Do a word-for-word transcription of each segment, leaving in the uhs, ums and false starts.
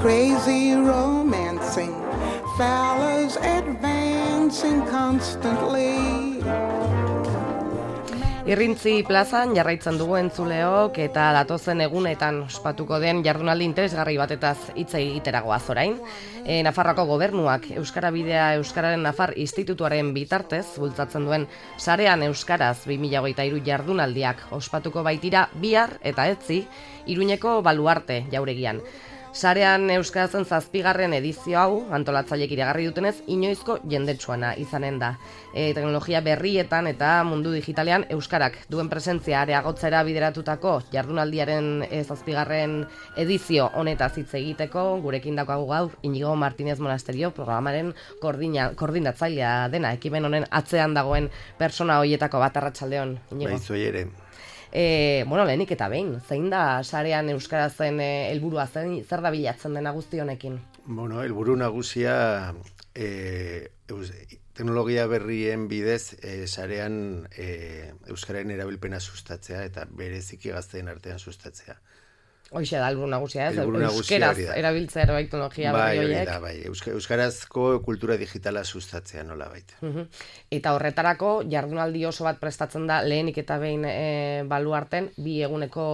crazy romancing, fellas advancing constantly. Irrintzi plazan jarraitzen dugu entzuleok eta datozen egunetan ospatuko den jardunaldi interesgarri batetaz hitz egiteragoaz orain. E, Nafarroako gobernuak Euskara Bidea Euskararen Nafar Institutuaren bitartez bultzatzen duen sarean euskaraz bi mila hogeita hiru jardunaldiak ospatuko baitira bihar eta etzi Iruñeko Baluarte jauregian. Sarean euskarazen zazpigarren edizio hau antolatzailek iragarri dutenez inoizko jendetsuana izanen da. E, teknologia berrietan eta mundu digitalean euskarak duen presentzia areagotzera bideratutako jardunaldiaren e, zazpigarren edizio honetaz hitz egiteko gurekin daukagu gaur Inigo Martinez Monasterio programaren koordina, koordinatzailea dena, ekimen honen atzean dagoen persona hoietako bat. Arratsaldeon, Inigo. Bai, zuei ere. E, bueno, lehenik eta behin, zein da sarean euskarazen helburua, e, zer da bilatzen dena guzti honekin? Bueno, helburu nagusia e, eus, teknologia berrien bidez e, sarean e, euskararen erabilpena sustatzea eta bereziki gazteen artean sustatzea. Hoixe da helburu nagusia, ez? Helburu nagusia Euskeraz hori da. erabiltzea ere bai teknologia Bai, berri hori horiek. da, bai. Euska, euskarazko kultura digitala sustatzea nola baita. Mhm. Eta horretarako jardunaldi oso bat prestatzen da lehenik eta behin e, Baluarten bi eguneko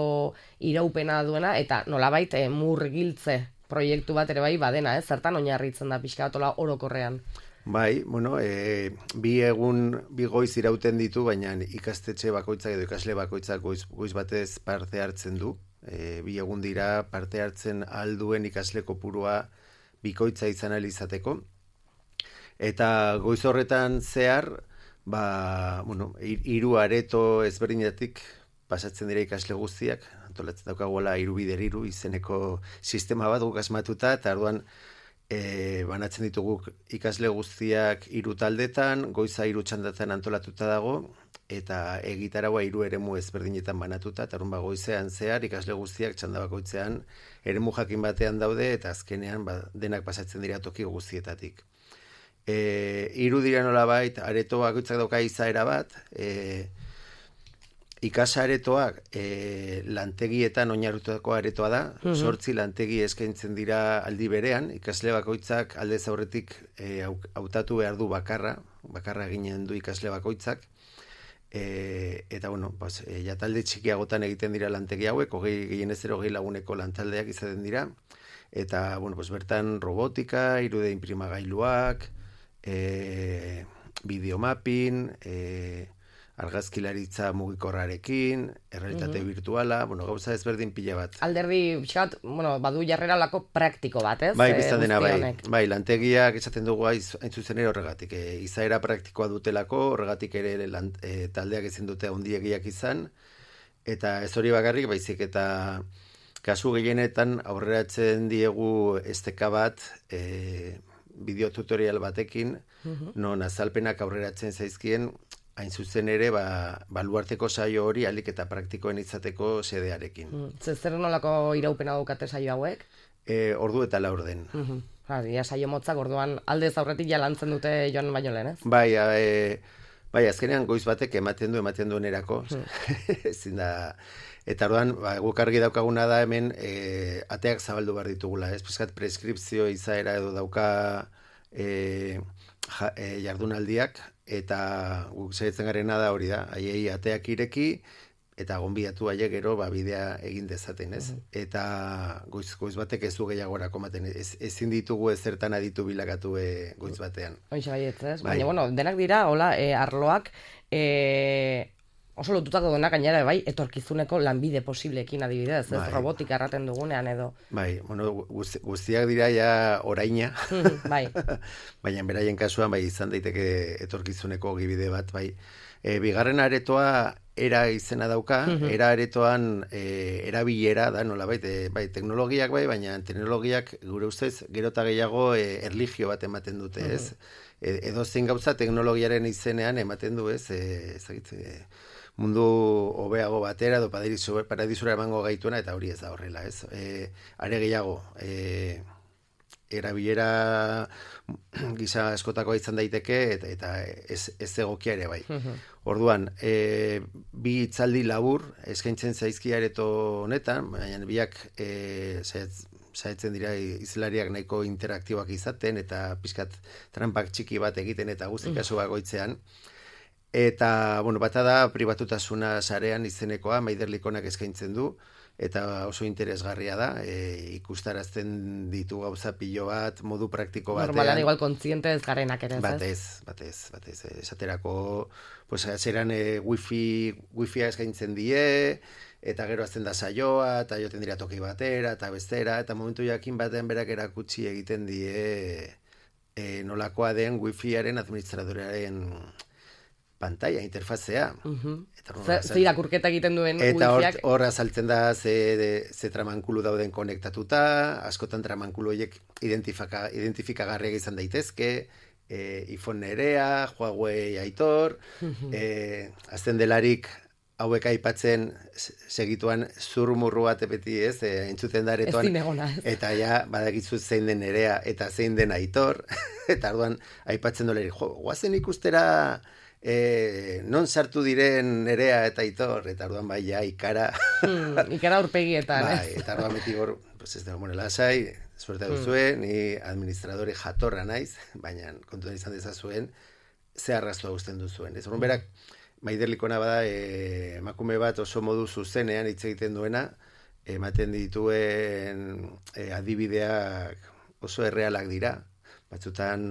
iraupena duena eta nolabait e, murgiltze proiektu bat ere bai badena, ez? Zertan oinarritzen da pixka bat orokorrean. Bai, bueno, e, bi egun, bi goiz irauten ditu, baina ikastetxe bakoitzak edo ikasle bakoitzak goiz, goiz batez parte hartzen du. E, bi egun dira parte hartzen alduen ikasle kopurua bikoitza izan ahal izateko. Eta goiz horretan zehar, ba, bueno, hiru areto ezberdinatik pasatzen dira ikasle guztiak, antolatzen daukagoela hiru bider hiru izeneko sistema bat guk asmatuta, eta orduan e, banatzen ditugu ikasle guztiak hiru taldetan, goiza hiru txandatan antolatuta dago, eta egitaragua hiru eremu ezberdinetan banatuta, eta orduan ba, goizean zehar ikasle guztiak txanda bakoitzean eremu jakin batean daude, eta azkenean ba, denak pasatzen dira toki guztietatik. E, hiru dira nolabait, areto bakoitzak dauka izaera bat, e, ikasaretoak e, lantegietan oinarritutako aretoa da, zortzi mm-hmm. lantegi eskaintzen dira aldi berean, ikasle bakoitzak aldez aurretik e, hautatu behar du bakarra, bakarra ginen du ikasle bakoitzak, e, eta bueno, pues, e, ja talde txikiagotan egiten dira lantegi hauek, hogei gehienez ero hogei laguneko lantaldeak izaten dira, eta bueno, pues, bertan robotika, irude inprimagailuak, e, videomapping, e, argazkilaritza mugikorrarekin, errealitate mm-hmm. virtuala, bueno, gauza ezberdin pila bat. Alderdi, pixkat, bueno, badu jarrera lako praktiko bat, ez? Bai, biztan dena, bai, bai, lantegiak esaten dugu hain zuzen ere horregatik. E, izaera praktikoa dutelako, horregatik ere lan, e, taldeak ezin dute ondiegiak izan, eta ez hori bakarrik, baizik eta kasu gehienetan aurreratzen diegu esteka bat, e, bideotutorial batekin, mm-hmm. non azalpenak aurreratzen zaizkien, hain zuzen ere, ba, Baluarteko saio hori alik eta praktikoen izateko sedearekin. Mm. Zer nolako iraupena daukate saio hauek? E, ordu eta laurden. Mm-hmm. Ha, dia saio motzak orduan aldez aurretik ja lantzen dute joan baino lehen, ez? Bai, e, bai, azkenean goiz batek ematen du, ematen duen erako. Mm. Ezin da... Eta orduan, ba, guk argi daukaguna da hemen e, ateak zabaldu behar ditugula, ez? Piskat preskripzio izaera edo dauka e, ja, e, jardunaldiak, eta guk saiatzen garena da hori da, haiei ateak ireki, eta gonbidatu haiek gero ba, bidea egin dezaten, ez? Mm-hmm. Eta goiz, goiz batek ez du gehiagorako maten, ez, ezin ditugu ezertan aditu bilakatu e, goiz batean. Hoize baietz, ez? Bai. Baina, bueno, denak dira, hola, e, arloak, e, oso lotutako denak gainera, bai, etorkizuneko lanbide posibleekin adibidez, ez? Bai. Robotika erraten dugunean edo. Bai, bueno, guzti, guztiak dira ja oraina, bai. Baina beraien kasuan, bai, izan daiteke etorkizuneko gibide bat, bai. E, bigarren aretoa era izena dauka, mm-hmm. era aretoan e, erabilera da, nolabait, e, bai, teknologiak bai, baina teknologiak gure ustez gero eta gehiago e, erlijio bat ematen dute, ez? Mm-hmm. E, edo zein gauza teknologiaren izenean ematen du, ez? E, ezagit, e, mundu hobeago batera edo paradisura emango gaituena, eta hori ez da horrela, ez? E, are gehiago, e, erabilera gisa askotakoa izan daiteke, eta, eta ez, ez egokia ere bai. Orduan, e, bi hitzaldi labur eskaintzen zaizki areto honetan, baina biak e, saiatzen dira izlariak nahiko interaktiboak izaten, eta pizkat trampak txiki bat egiten, eta guzti kasu bakoitzean. Eta, bueno, bata da pribatutasuna sarean izenekoa, Maider Likonak eskaintzen du, eta oso interesgarria da, e, ikustarazten ditu gauza pilo bat, modu praktiko batean. Normalan igual kontziente ez garenak ere, ez? Batez, batez, batez. Esaterako, pues, zeran e, wifi, wifia eskaintzen die, eta gero azten da saioa, eta joten dira toki batera, eta bestera, eta momentu jakin batean berak erakutsi egiten die e, nolakoa den wifiaren administradorearen pantalla, interfazea. Uh-huh. Ze irakurketa egiten duen eta wifiak. Eta hor azaltzen da ze, ze tramankulu dauden konektatuta, askotan tramankulu horiek identifika, identifikagarriak izan daitezke, e, iPhone nerea, Huawei Aitor, uh-huh. e, azten delarik hauek aipatzen segituan zurmurru bat beti ez, e, entzuten da aretoan. Ez dinegona, ez. Eta ja, badakizu zein den nerea eta zein den Aitor, eta orduan aipatzen doleri, jo, guazen ikustera E, non sartu diren Nerea eta Aitor, eta orduan bai ja ikara hmm, ikara urpegietan bai, eta orduan beti hor pues ez dago, bueno, lasai suerte duzue, hmm. ni administradore jatorra naiz, baina kontuan izan dezazuen ze arrastoa uzten duzuen, ez orduan berak Maider Likona bada e, emakume bat oso modu zuzenean hitz egiten duena, ematen dituen e, adibideak oso errealak dira, batzutan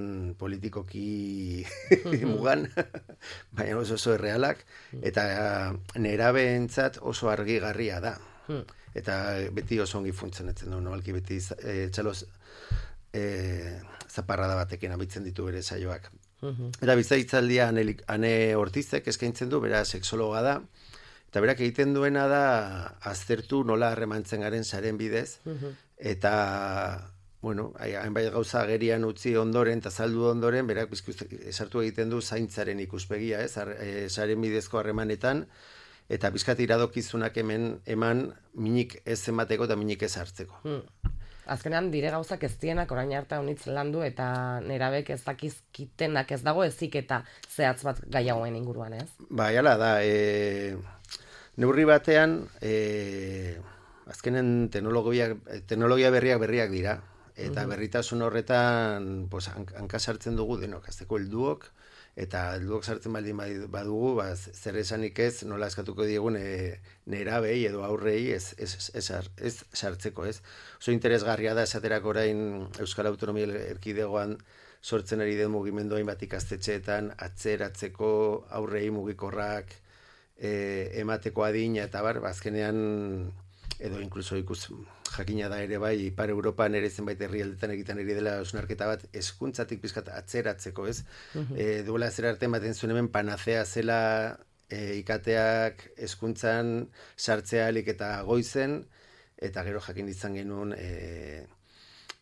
politikoki mugan, baina oso oso errealak, eta nerabeentzat oso argigarria da. Eta beti oso ongi funtzionatzen du, nobalki beti e, txaloz e, zaparrada batekin abitzen ditu bere saioak. Eta bizaitzaldia ane, ane Ortizek eskaintzen du, bera sexologa da, eta berak egiten duena da aztertu nola harremantzen garen saren bidez, eta bueno, hainbait gauza agerian utzi ondoren, eta saldu ondoren, berak esartu egiten du zaintzaren ikuspegia, ez, e, saren bidezko harremanetan, eta bizkat iradokizunak hemen eman minik ez emateko eta minik ez hartzeko. Hmm. Azkenean dire gauzak ez dienak orain arte honitz landu, eta nerabek ez dakizkitenak ez dago ezik eta zehatz bat gaiagoen inguruan, ez? Ba, jala da, e, neurri batean, e, azkenen teknologia, teknologia berriak berriak dira, eta berritasun horretan pues, hanka sartzen dugu denok, azteko helduok, eta helduok sartzen baldin badugu, ba, zer esanik ez, nola eskatuko diegun e, nerabei edo aurrei ez, ez, ez, ez sartzeko, ez. Oso interesgarria da esaterako orain Euskal Autonomia Erkidegoan sortzen ari den mugimendu hainbat ikastetxeetan, atzeratzeko aurrei mugikorrak e, emateko adina, eta bar, azkenean edo inkluso ikus jakina da ere bai, Ipar Europan ere zenbait herrialdetan egiten ari dela osnarketa bat eskuntzatik pizkat atzeratzeko, ez? Uh-huh. E, duela zer arte ematen zuen hemen panazea zela e, ikateak eskuntzan sartzea alik eta goizen, eta gero jakin izan genuen e,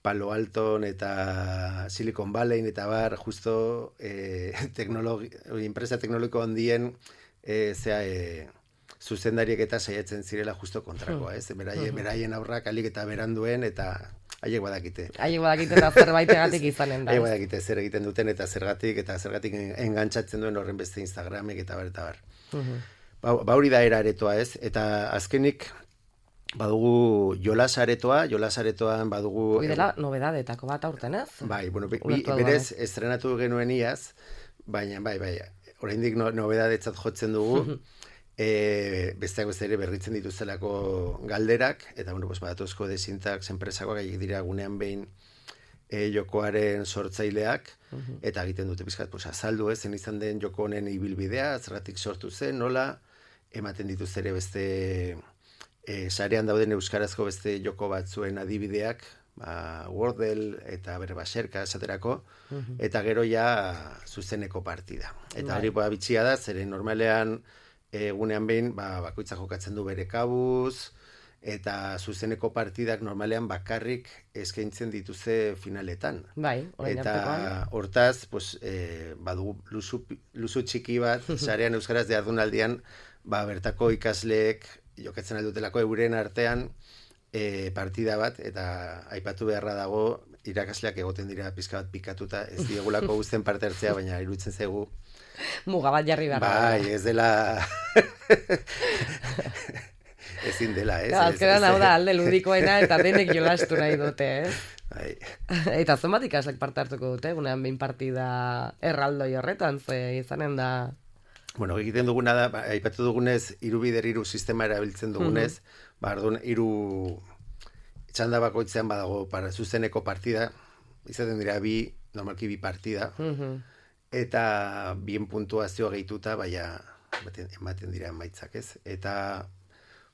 Palo Alton eta Silicon Valley eta bar, justo e, teknologi, enpresa teknologiko handien e, zea e, zuzendariek eta saiatzen zirela justo kontrakoa, ez? Beraien, beraien aurrak alik eta beranduen, eta haiek badakite. Haiek badakite eta zerbaitegatik izanen da. Haiek badakite zer egiten duten eta zergatik, eta zergatik engantzatzen duen horren beste Instagramek eta bar, eta bar. Uh-huh. Ba, ba hori da era aretoa, ez? Eta azkenik badugu jolas aretoa, jolas aretoan badugu... Hoi dela nobedadetako bat aurten, ez? Bai, bueno, bi, berez estrenatu genuen iaz, baina, bai, bai, oraindik no, nobedadetzat jotzen dugu, E, besteak beste ere berritzen dituztelako galderak, eta bueno, pues, badatuzko desintax enpresakoak haiek dira gunean behin e, jokoaren sortzaileak, uh-huh. eta egiten dute pizkat, pues, azaldu ez, zen izan den joko honen ibilbidea, zergatik sortu zen, nola, ematen dituzte ere beste e, sarean dauden euskarazko beste joko batzuen adibideak, ba, Wordle eta bere baserka esaterako, uh-huh. eta gero ja zuzeneko partida. Eta hori ba, bitxia da, zeren normalean egunean behin, ba, bakoitza jokatzen du bere kabuz, eta zuzeneko partidak normalean bakarrik eskaintzen dituzte finaletan. Bai, eta hortaz, pues, e, badugu luzu, luzu txiki bat, sarean euskaraz de ardunaldian, ba, bertako ikasleek jokatzen aldutelako euren artean e, partida bat, eta aipatu beharra dago, irakasleak egoten dira pizka bat pikatuta, ez diegulako guztien parte hartzea, baina iruditzen zaigu muga bat jarri behar. Bai, ez dela ezin dela, ez? Azkenan hau da alde ludikoena eta denek jolastu nahi dute, ez? Bai. Eta zenbat ikaslek parte hartuko dute, unean behin partida erraldoi horretan, ze izanen da... Bueno, egiten duguna da, ba, aipatu dugunez, hiru bider hiru sistema erabiltzen dugunez, mm-hmm. ba, orduan, hiru txanda bakoitzean badago para zuzeneko partida, izaten dira bi, normalki bi partida, mm-hmm. eta bien puntuazioa gehituta, baina ematen dira emaitzak, ez? Eta,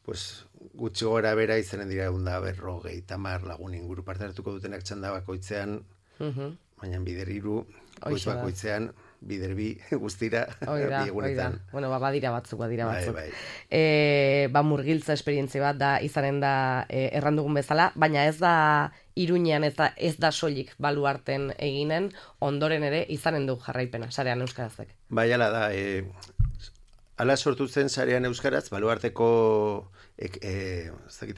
pues, gutxi gora bera izanen dira eunda berrogei tamar lagun inguru parte hartuko dutenak txanda bakoitzean, mm-hmm. baina bider hiru, goiz bakoitzean, bider bi guztira, oida, bi egunetan. Oida. Bueno, ba, badira batzuk, badira batzuk. Bai, bai. E, ba, murgiltza esperientzia bat da, izanen da e, errandugun bezala, baina ez da Iruñean ez da, ez da soilik baluarten eginen, ondoren ere izanen du jarraipena, sarean euskarazek. Bai, ala da, e, ala sortu zen sarean euskaraz, baluarteko ek, e,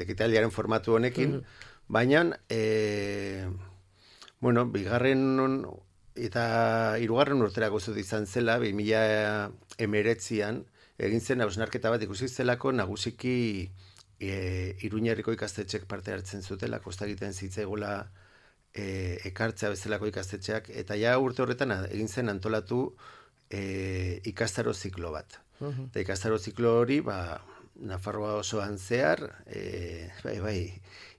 ekitaliaren formatu honekin, mm-hmm. baina, e, bueno, bigarren eta hirugarren urterako zut izan zela, bi mila hemeretzian, egin zen hausnarketa bat ikusi zelako nagusiki e, Iruñerriko ikastetxek parte hartzen zutela, kosta egiten zitzaigula e, ekartzea bezalako ikastetxeak, eta ja urte horretan egin zen antolatu e, ikastaro ziklo bat. Uh-huh. Eta ikastaro ziklo hori, ba, Nafarroa osoan zehar, e, bai, bai,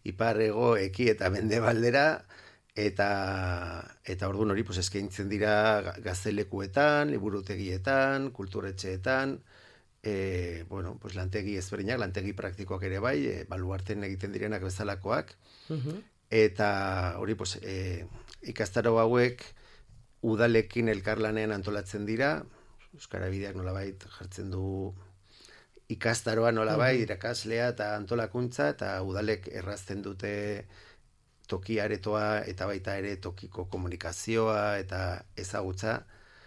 ipar ego, eki eta mendebaldera, eta eta ordun hori pues eskaintzen dira gaztelekuetan, liburutegietan, kulturetxeetan, eh bueno, pues lantegi ezberdinak, lantegi praktikoak ere bai, e, baluarten egiten direnak bezalakoak. Uh-huh. Eta hori pues e, ikastaro hauek udalekin elkarlanean antolatzen dira, Euskara Bideak nolabait jartzen du ikastaroa nolabait, uh-huh. irakaslea eta antolakuntza, eta udalek errazten dute toki aretoa eta baita ere tokiko komunikazioa eta ezagutza.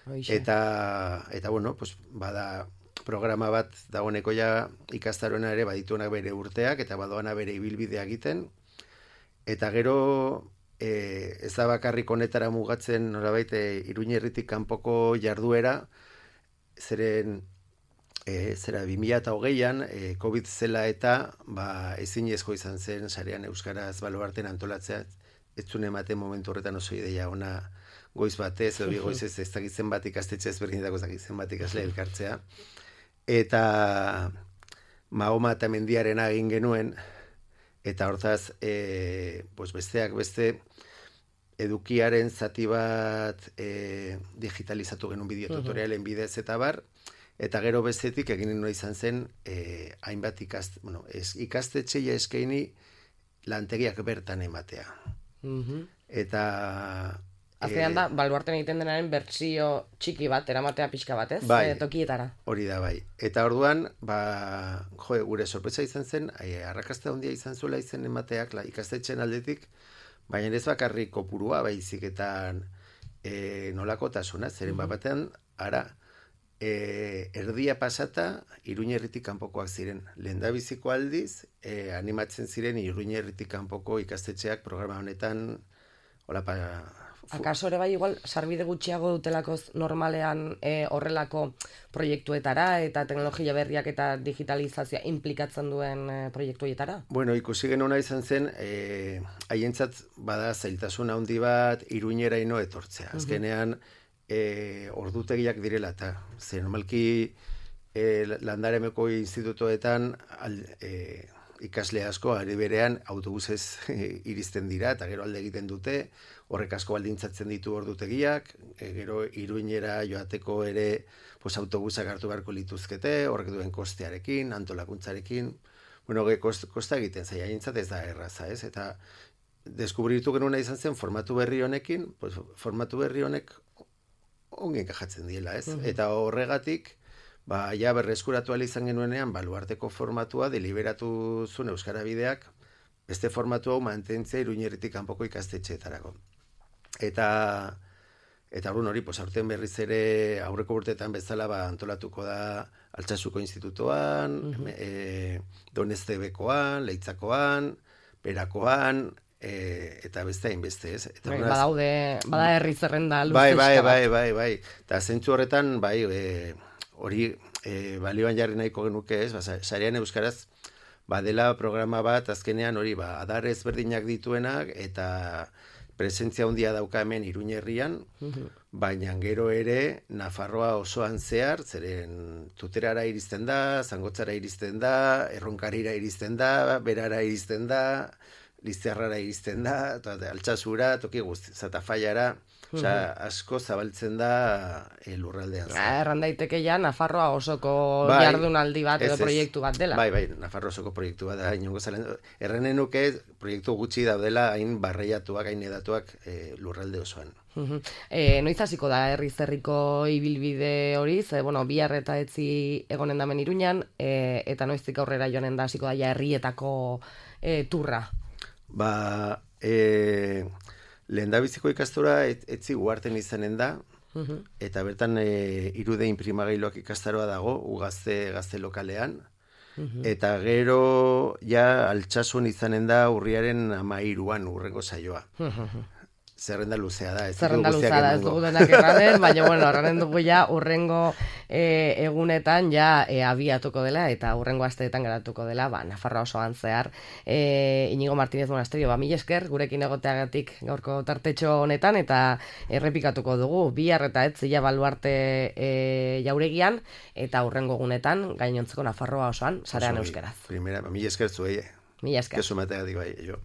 Oixe. Eta, eta bueno, pues, bada programa bat dagoeneko ja ikastaroena ere badituenak bere urteak eta badoana bere ibilbidea egiten. Eta gero e, ez da bakarrik honetara mugatzen nolabait e, Iruñerritik kanpoko jarduera, zeren E, zera, bi mila hogeian, e, COVID zela eta ba, ezinezko izan zen sarean euskaraz baluarten antolatzea, ez zuen ematen momentu horretan oso ideia ona goiz batez, edo bi goizez ez dakitzen bat ikastetxe ezberdinetako ez dakitzen bat ikasle elkartzea. Eta Mahoma eta Mendiarena egin genuen, eta hortaz, e, pues besteak beste, edukiaren zati bat e, digitalizatu genuen bideotutorialen bidez eta bar, eta gero bestetik egin nuen izan zen eh, hainbat ikast, bueno, ez, ikastetxeia eskaini lantegiak bertan ematea. Mm-hmm. Eta... Azkenean da, baluarten egiten denaren bertsio txiki bat, eramatea pixka bat, ez? Bai, e, tokietara. Hori da, bai. Eta orduan, ba, jo, gure sorpresa izan zen, e, arrakasta handia izan zuela izen emateak la, ikastetxen aldetik, baina ez bakarrik kopurua, baizik eta e, nolakotasuna, zeren mm-hmm. batean, ara, E, erdia pasata Iruñerritik kanpokoak ziren. Lehendabiziko aldiz e, animatzen ziren Iruñerritik kanpoko ikastetxeak programa honetan hola pa, fu... Akaso ere bai igual sarbide gutxiago dutelako normalean e, horrelako proiektuetara eta teknologia berriak eta digitalizazioa implikatzen duen e, proiektuetara? Bueno, ikusi genuna izan zen e, haientzat bada zailtasun handi bat Iruñeraino etortzea. Azkenean uh-huh. E, ordutegiak direla eta ze normalki e, Landaremeko institutoetan al, e, ikasle asko ari berean autobusez e, iristen dira eta gero alde egiten dute, horrek asko baldintzatzen ditu ordutegiak, e, gero Iruñera joateko ere pues, autobusak hartu beharko lituzkete, horrek duen kostearekin, antolakuntzarekin, bueno, ge, kost, kosta egiten zaila, aintzat ez da erraza, ez? Eta deskubritu genuna izan zen formatu berri honekin, pues, formatu berri honek ongi enkajatzen diela, ez? Uh-huh. Eta horregatik, ba, ja berreskuratu ala izan genuenean, baluarteko formatua deliberatu zuen Euskara Bideak, beste formatu hau mantentzea Iruñerritik kanpoko ikastetxeetarako. Eta, eta orduan hori, pues, aurten berriz ere aurreko urteetan bezala ba, antolatuko da Altsasuko institutoan, uh-huh. e, Doneztebekoan, Leitzakoan, Berakoan, E, eta beste hainbeste, ez? Eta bai, badaude, bada herri zerrenda luzuzka bai, bai, bai, bai, bai. Eta zentzu horretan, bai, e, hori e, balioan jarri nahiko genuke, ez? Ba, sarean euskaraz badela programa bat azkenean hori ba adar ezberdinak dituenak eta presentzia handia dauka hemen Iruñerrian, baina gero ere Nafarroa osoan zehar, zeren Tuterara iristen da, Zangotzara iristen da, Erronkarira iristen da, Berara iristen da, Lizarrara iristen da, Altsasura, toki guzti, Zatafaiara, osea, asko zabaltzen da e, lurraldean. Erran daiteke ja Nafarroa osoko bai, jardunaldi bat edo ez, ez. proiektu bat dela. Bai, bai, Nafarroa osoko proiektu bat da, inongo zalen. Errenen nuke proiektu gutxi daudela hain barreiatuak, hain edatuak e, lurralde osoan. Uh-huh. E, noiz hasiko da herriz herriko ibilbide hori, ze, bueno, bihar eta etzi egonen damen Iruñan, e, eta noiztik aurrera joanen da hasiko da ja herrietako e, turra. Ba, e, lehendabiziko ikastora et, etzi guarten izanen da, uh-huh. eta bertan e, irude inprimagailoak ikastaroa dago, ugazte gazte lokalean, uh-huh. eta gero ja Altsasun izanen da urriaren amairuan urrengo saioa. Uh-huh. Zerrenda luzea da, ez Zerrenda luzea da, ez dugu denak erranen, baina, bueno, horren dugu ja urrengo e, egunetan ja e, abiatuko dela, eta urrengo asteetan geratuko dela, ba, Nafarroa osoan zehar. E, Inigo Martínez Monasterio, ba, mil esker, gurekin egoteagatik gaurko tartetxo honetan, eta errepikatuko dugu, bihar eta etzi ja baluarte e, jauregian, eta urrengo egunetan, gainontzeko Nafarroa osoan, sarean euskeraz. Primera, mil esker zuei. Mil esker. Kesu mateatik bai, jo.